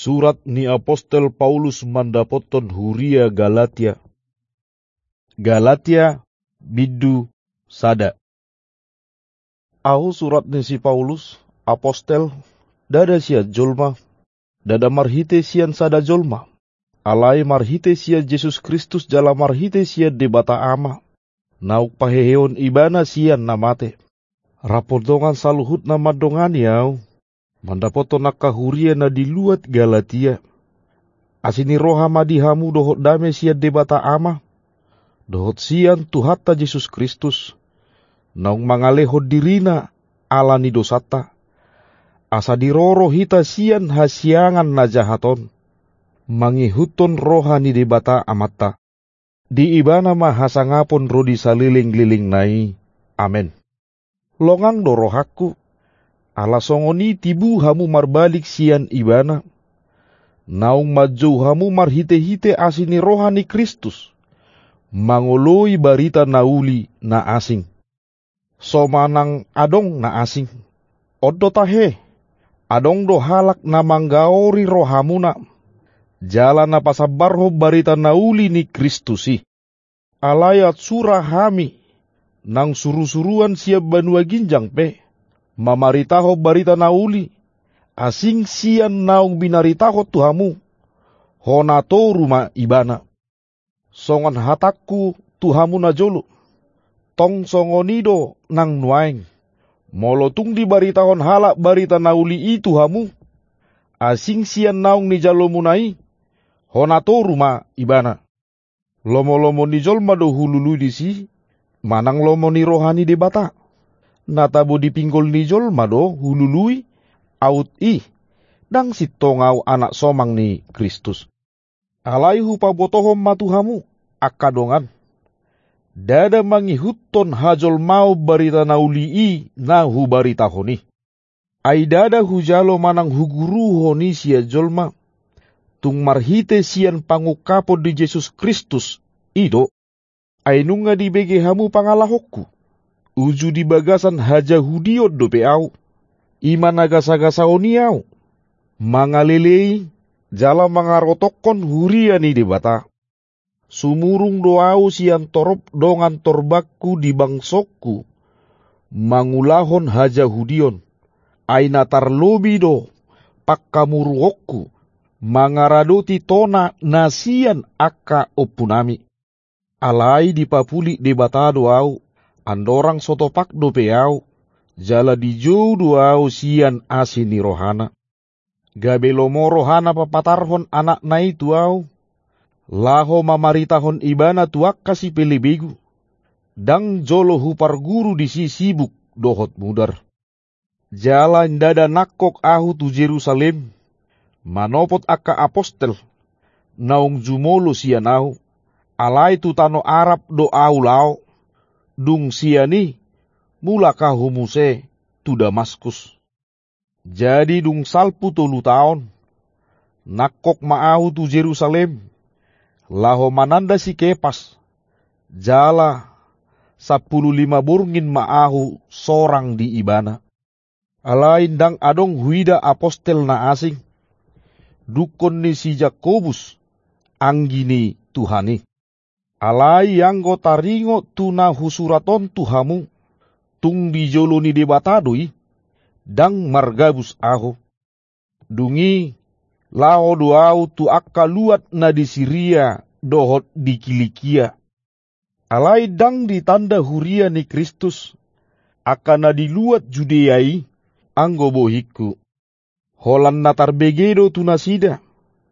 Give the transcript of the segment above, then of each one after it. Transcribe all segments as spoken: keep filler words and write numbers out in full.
Surat ni apostel Paulus mandapothon huria Galatia. Galatia, bindu sada. Ahu surat ni si Paulus, apostel, ndada sian jolma, ndada marhite sian sada jolma, alai marhite sian Jesus Kristus jala marhite sian Debata Ama, naung paheheon Ibana sian na mate. Rap dongan saluhut na mandongani ahu, mandapothon angka huria na di luat Galatia. Asi ni roha ma di hamu dohot dame sian Debata Ama, dohot sian Tuhanta Jesus Kristus, naung mangalehon dirina ala ni dosanta, asa diroro hita sian hasiangan na jahat on, mangihuthon roha ni Debata Amanta. Di Ibana ma hasangapon ro di salelenglelengna i. Amen. Longang do rohangku, ala songon i tibu hamu marbalik sian Ibana, naung manjou hamu marhitehite asi ni roha ni Kristus, mangoloi barita na uli na asing. So manang adong na asing. On do tahe, adong do halak na manggaori rohamuna, jala na pasambarhon barita na uli ni Kristus i. Alai ansura hami, nang surusuruan sian banua ginjang pe, mamaritahon barita na uli, asing sian naung binaritahon tu hamu, hona toru ma Ibana. Songon hatangku tu hamu na jolo, tong songon i do nang nuaeng. Molo tung dibaritahon halak barita na uli i tu hamu, asing sian naung nijalomuna i, hona toru ma Ibana. Lomolomo ni jolma do hulului disi, manang lomo ni roha ni Debata? Na tabo di pinggol ni jolma do hulului, aut i, ndang sintong ahu anak somang ni Kristus. Alai hupabotohon ma tu hamu, angka dongan, ndada mangihuthon hajolmaon barita na uli i na hubaritahon i. Ai ndada hujalo manang huguruhon i sian jolma, tung marhite sian pangungkapon ni Jesus Kristus i do. Ai nunga dibege hamu pangalahonku, uju di bagasan hajahudion dope ahu, i ma na gasagasaon i ahu, mangalelei jala mangarotokkon huria ni Debata. Sumurung do ahu sian torop dongan torbangku di bangsongku, mangulahon hajahudion, ai na tarlobi do pangkamuruonku, mangaradoti tona na sian angka ompunami. Alai dipapulik Debata do ahu, andorang so topak dope ahu, jala dijou do ahu sian asi ni rohana. Gabe lomo rohana papatarhon anakna i tu ahu, laho mamaritahon ibana tu angka sipelebegu, ndang jolo huparguru disi sibuk dohot mudar. Jala ndada nangkok ahu tu Jerusalem, manopot angka apostel, naung jumolo sian ahu, alai tu tano Arab do ahu laho, dung sian i mulak ahu muse tu Damaskus. Jadi dung salpu tolu taon, nangkok ma ahu tu Jerusalem, laho mananda si Kepas, jala sampulu lima borngin ma ahu sorang di ibana. Alai ndang adong huida apostel na asing, dungkon ni si Jakobus, anggi ni Tuhan i. Alai anggo taringot tu na husurat on tu hamu, tung di jolo ni Debata do i, ndang margabus ahu. Dung i, laho do ahu tu angka luat na di Siria dohot di Kilikia. Alai ndang ditanda huria ni Kristus, angka na di luat Judea i, anggo bohingku. Holan na tarbege do tu nasida,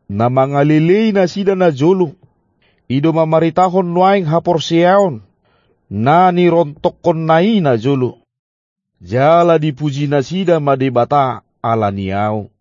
na mangalelei nasida na jolo, i do mamaritahon nuaeng haporseaon, na nirontokkonna i na jolo. Jala dipuji nasida ma Debata ala ni ahu.